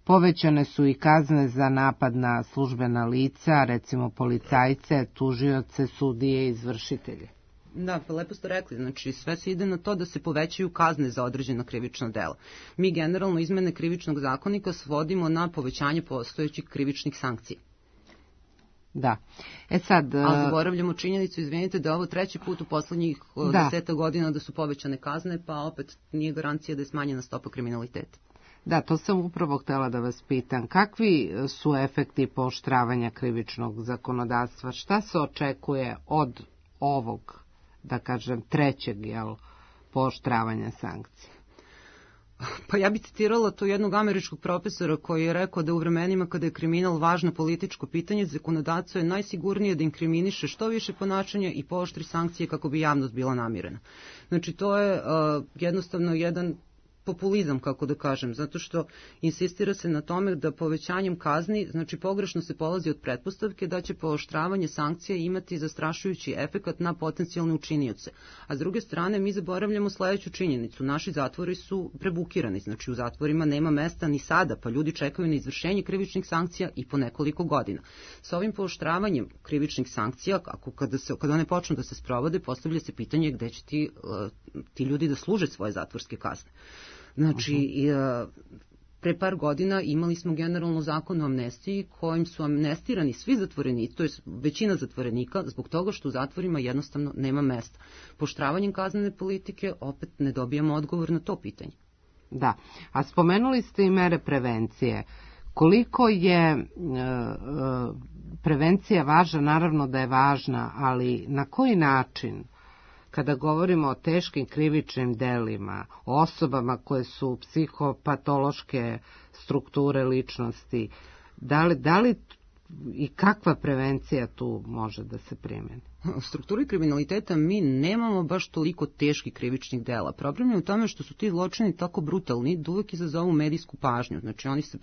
Povećane su i kazne za napad na službena lica, recimo policajce, tužioce, sudije i izvršitelje. Da, pa lepo ste rekli, znači sve se ide na to da se povećaju kazne za određena krivična dela. Mi generalno izmene krivičnog zakonika svodimo na povećanje postojećih krivičnih sankcija. Da. E sad... A zaboravljamo činjenicu, izvinite, da je ovo treći put u poslednjih da. deseta godina da su povećane kazne, pa opet nije garancija da je smanjena stopa kriminaliteta. Da, to sam upravo htjela da vas pitam. Kakvi su efekti pooštravanja krivičnog zakonodavstva? Šta se očekuje od ovog, da kažem, trećeg, jel, pooštravanja sankcija? Pa ja bih citirala to jednog američkog profesora koji je rekao da u vremenima kada je kriminal važno političko pitanje, zakonodavcu je najsigurnije da inkriminiše što više ponašanja i pooštri sankcije kako bi javnost bila namirena. Znači to je uh, jednostavno jedan populizam, kako da kažem, zato što insistira se na tome da povećanjem kazni, znači pogrešno se polazi od pretpostavke da će pooštravanje sankcija imati zastrašujući efekat na potencijalne učinioce. A s druge strane, mi zaboravljamo sledeću činjenicu. Naši zatvori su prebukirani, znači u zatvorima nema mesta ni sada, pa ljudi čekaju na izvršenje krivičnih sankcija i po nekoliko godina. Sa ovim pooštravanjem krivičnih sankcija, ako kada, se, kada one počnu da se sprovode, postavlja se pitanje gde će ti, ti ljudi da služe svoje zatvorske kazne. Znači, uh-huh. pre par godina imali smo generalno zakon o amnestiji kojim su amnestirani svi zatvorenici, to je većina zatvorenika, zbog toga što u zatvorima jednostavno nema mesta. Pooštravanjem kaznene politike opet ne dobijamo odgovor na to pitanje. Da, a spomenuli ste i mere prevencije. Koliko je uh, uh, prevencija važna? Naravno da je važna, ali na koji način? Kada govorimo o teškim krivičnim delima, o osobama koje su psihopatološke strukture ličnosti, da li, da li i kakva prevencija tu može da se primeni? U strukturi kriminaliteta mi nemamo baš toliko teških krivičnih dela. Problem je u tome što su ti zločini tako brutalni da uvek izazovu medijsku pažnju. Znači oni se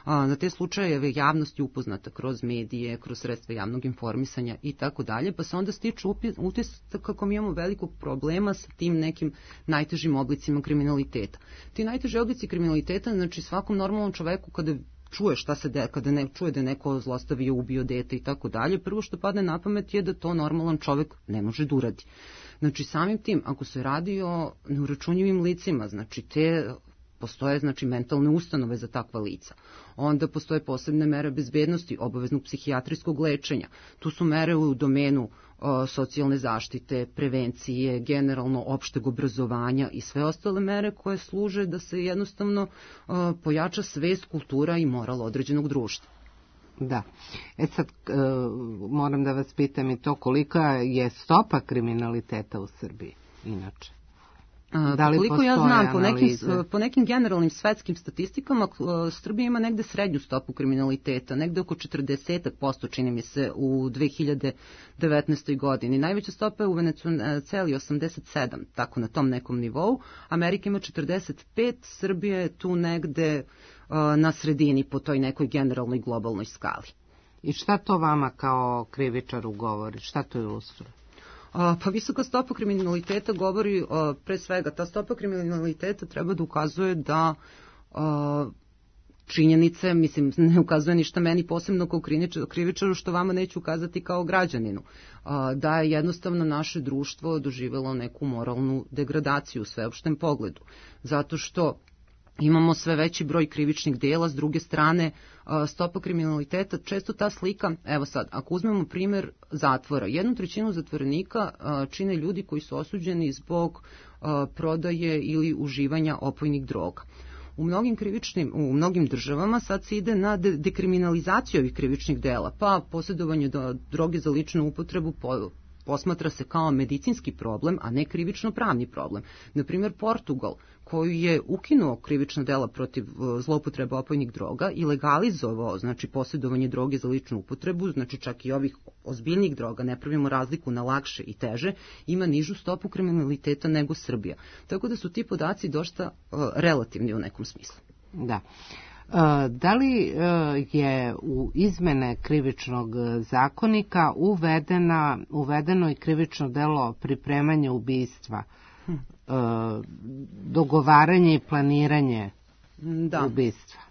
A, na te slučajeve javnost je upoznata kroz medije, kroz sredstva javnog informisanja i tako dalje, pa se onda stiču utisak kako mi imamo velikog problema sa tim nekim najtežim oblicima kriminaliteta. Ti najteži oblici kriminaliteta, znači svakom normalnom čoveku kada čuje šta se de, kada ne čuje da je neko zlostavio, ubio dete i tako dalje, prvo što padne na pamet je da to normalan čovek ne može da uradi. Znači samim tim, ako se radi o neuračunjivim licima, znači te postoje znači mentalne ustanove za takva lica. Onda postoje posebne mere bezbednosti, obaveznog psihijatrijskog lečenja. Tu su mere u domenu o, socijalne zaštite, prevencije, generalno opšteg obrazovanja i sve ostale mere koje služe da se jednostavno o, pojača svest, kultura i moral određenog društva. Da. E sad, e, moram da vas pitam i to kolika je stopa kriminaliteta u Srbiji, inače? Da li koliko ja znam, po nekim, analize? po nekim generalnim svetskim statistikama, Srbija ima negde srednju stopu kriminaliteta, negde oko četrdeset posto čini mi se u dve hiljade devetnaestoj godini. Najveća stopa je u Venecueli osamdeset sedam, tako na tom nekom nivou. Amerika ima četrdeset pet, Srbija je tu negde na sredini po toj nekoj generalnoj globalnoj skali. I šta to vama kao krivičaru govori? Šta to ilustruje? Pa visoka stopa kriminaliteta govori, pre svega, ta stopa kriminaliteta treba da ukazuje da činjenice, mislim, ne ukazuje ništa meni posebno kao krivičaru, što vama neću ukazati kao građaninu, da je jednostavno naše društvo doživjelo neku moralnu degradaciju u sveopštem pogledu. Zato što imamo sve veći broj krivičnih dela, s druge strane stopa kriminaliteta, često ta slika, evo sad, ako uzmemo primer zatvora, jednu trećinu zatvorenika čine ljudi koji su osuđeni zbog prodaje ili uživanja opojnih droga. U mnogim krivičnim, u mnogim državama sad se ide na de- dekriminalizaciju ovih krivičnih dela, pa posjedovanje do droge za ličnu upotrebu po, posmatra se kao medicinski problem, a ne krivično pravni problem. Naprimjer, Portugal, koji je ukinuo krivična dela protiv zloupotrebe opojnih droga i legalizovao, znači, posjedovanje droge za ličnu upotrebu, znači čak i ovih ozbiljnih droga, ne pravimo razliku na lakše i teže, ima nižu stopu kriminaliteta nego Srbija. Tako da su ti podaci dosta uh, relativni u nekom smislu. Da. Da li je u izmene krivičnog zakonika uvedena, uvedeno i krivično delo pripremanje ubistva, hm. dogovaranje i planiranje da. ubistva?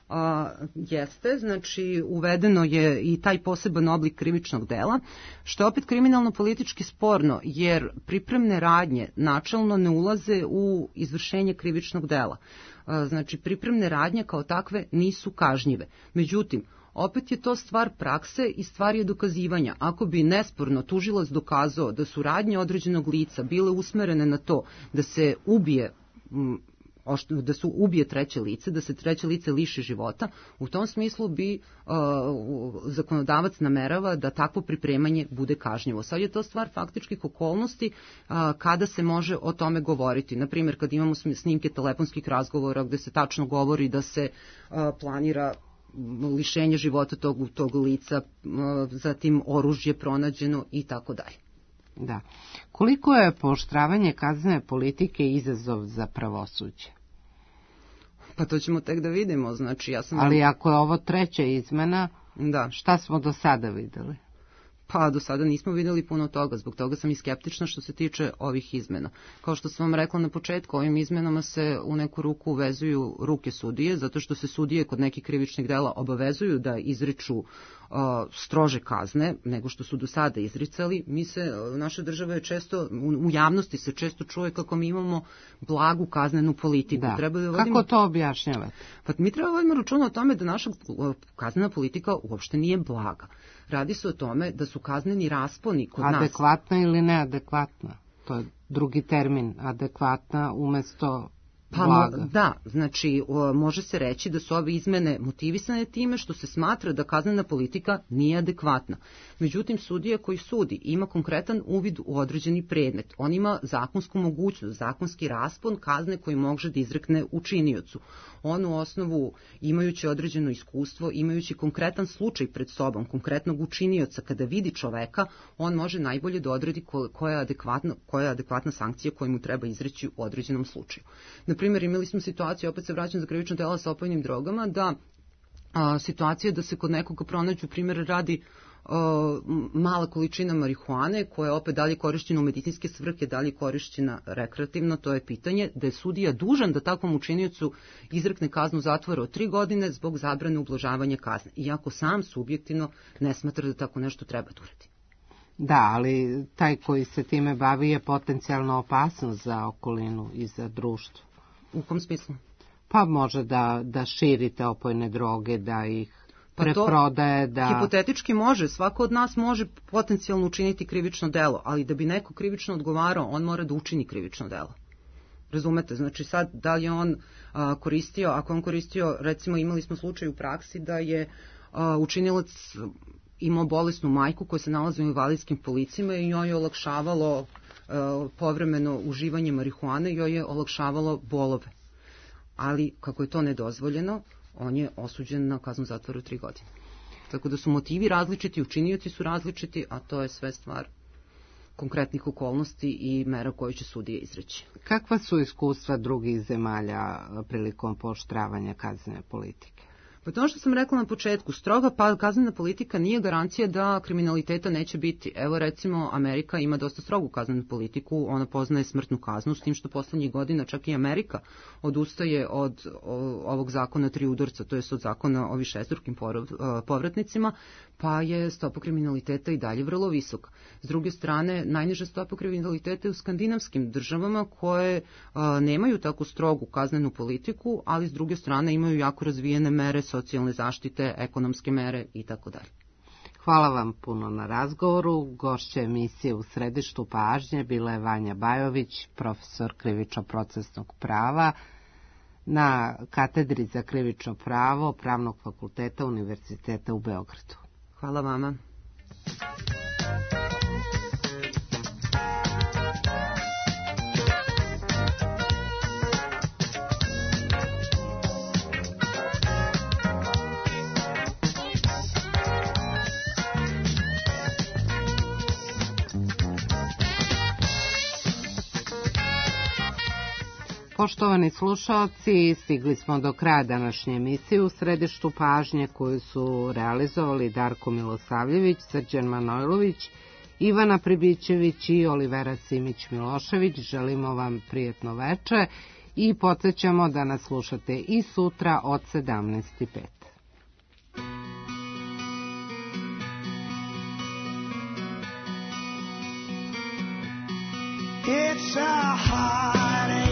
A, jeste, znači uvedeno je i taj poseban oblik krivičnog dela, što je opet kriminalno-politički sporno, jer pripremne radnje načelno ne ulaze u izvršenje krivičnog dela. A, znači pripremne radnje kao takve nisu kažnjive. Međutim, opet je to stvar prakse i stvar je dokazivanja. Ako bi nesporno tužilac dokazao da su radnje određenog lica bile usmerene na to da se ubije m, da su ubije treće lice, da se treće lice liši života, u tom smislu bi uh, zakonodavac namerava da takvo pripremanje bude kažnjivo. Sad je to stvar faktičkih okolnosti uh, kada se može o tome govoriti. Naprimjer, kad imamo snimke telefonskih razgovora gde se tačno govori da se uh, planira lišenje života tog, tog lica, uh, zatim oružje pronađeno i tako dalje. Da. Koliko je pooštravanje kaznene politike izazov za pravosuđe? Pa to ćemo tek da vidimo. Znači, ja sam... Ali ako je ovo treća izmena, da. Šta smo do sada videli? Pa do sada nismo videli puno toga, zbog toga sam i skeptična što se tiče ovih izmena. Kao što sam vam rekla na početku, ovim izmenama se u neku ruku uvezuju ruke sudije, zato što se sudije kod nekih krivičnih dela obavezuju da izriču uh, strože kazne nego što su do sada izricali. Mi se, naša država je često, u, u javnosti se često čuje kako mi imamo blagu kaznenu politiku. Da. Treba da vodimo... Kako to objašnjavate? Pa mi treba vodimo računa o tome da naša kaznena politika uopšte nije blaga. Radi se o tome da su kazneni rasponi kod adekvatna nas... Adekvatna ili neadekvatna? To je drugi termin, adekvatna umesto pa, blaga. Da, znači o, može se reći da su ove izmene motivisane time što se smatra da kaznena politika nije adekvatna. Međutim, sudija koji sudi ima konkretan uvid u određeni predmet. On ima zakonsku mogućnost, zakonski raspon kazne koji može da izrekne učiniocu. On u osnovu, imajući određeno iskustvo, imajući konkretan slučaj pred sobom, konkretnog učinioca, kada vidi čoveka, on može najbolje da odredi koja je adekvatna, koja je adekvatna sankcija koju mu treba izreći u određenom slučaju. Naprimjer, imali smo situaciju, opet se vraćam za krivično delo sa opojnim drogama, da a, situacija da se kod nekoga pronađu, primjer radi, a, mala količina marihuane, koja je opet dalje korišćena u medicinske svrhe, dalje korišćena rekreativno, to je pitanje, da je sudija dužan da takvom učiniocu izrekne kaznu zatvora od tri godine zbog zabrane ublažavanja kazne, iako sam subjektivno ne smatra da tako nešto treba da uradi. Da, ali taj koji se time bavi je potencijalno opasnost za okolinu i za društvo. U kom smislu? Pa može da, da širite opojne droge, da ih pa preprodaje, da... Hipotetički može, svako od nas može potencijalno učiniti krivično delo, ali da bi neko krivično odgovarao, on mora da učini krivično delo. Razumete, znači sad da li je on a, koristio, ako on koristio, recimo imali smo slučaj u praksi da je a, učinilac imao bolesnu majku koja se nalazi u invalidskim kolicima i njoj je olakšavalo povremeno uživanje marihuane joj je olakšavalo bolove. Ali, kako je to nedozvoljeno, on je osuđen na kaznu zatvora tri godine. Tako da su motivi različiti, učinioci su različiti, a to je sve stvar konkretnih okolnosti i mera koje će sudije izreći. Kakva su iskustva drugih zemalja prilikom pooštravanja kaznene politike? Pa to što sam rekla na početku, stroga pa kaznena politika nije garancija da kriminaliteta neće biti. Evo recimo Amerika ima dosta strogu kaznenu politiku, ona poznaje smrtnu kaznu, s tim što poslednjih godina čak i Amerika odustaje od ovog zakona tri udarca, to je od zakona o višestrukim povratnicima, pa je stopa kriminaliteta i dalje vrlo visoka. S druge strane, najniža stopa kriminaliteta je u skandinavskim državama koje a, nemaju tako strogu kaznenu politiku, ali s druge strane imaju jako razvijene mere socijalne zaštite, ekonomske mere i tako dalje. Hvala vam puno na razgovoru. Gošća emisije U središtu pažnje bila je Vanja Bajović, profesor krivično-procesnog prava na katedri za krivično pravo Pravnog fakulteta Univerziteta u Beogradu. Hvala vama. Poštovani slušaoci, stigli smo do kraja današnje emisije U središtu pažnje koju su realizovali Darko Milosavljević, Srđan Manojlović, Ivana Pribićević i Olivera Simić-Milošević. Želimo vam prijetno veče i podsjećamo da nas slušate i sutra od sedamnaest i pet. It's a hard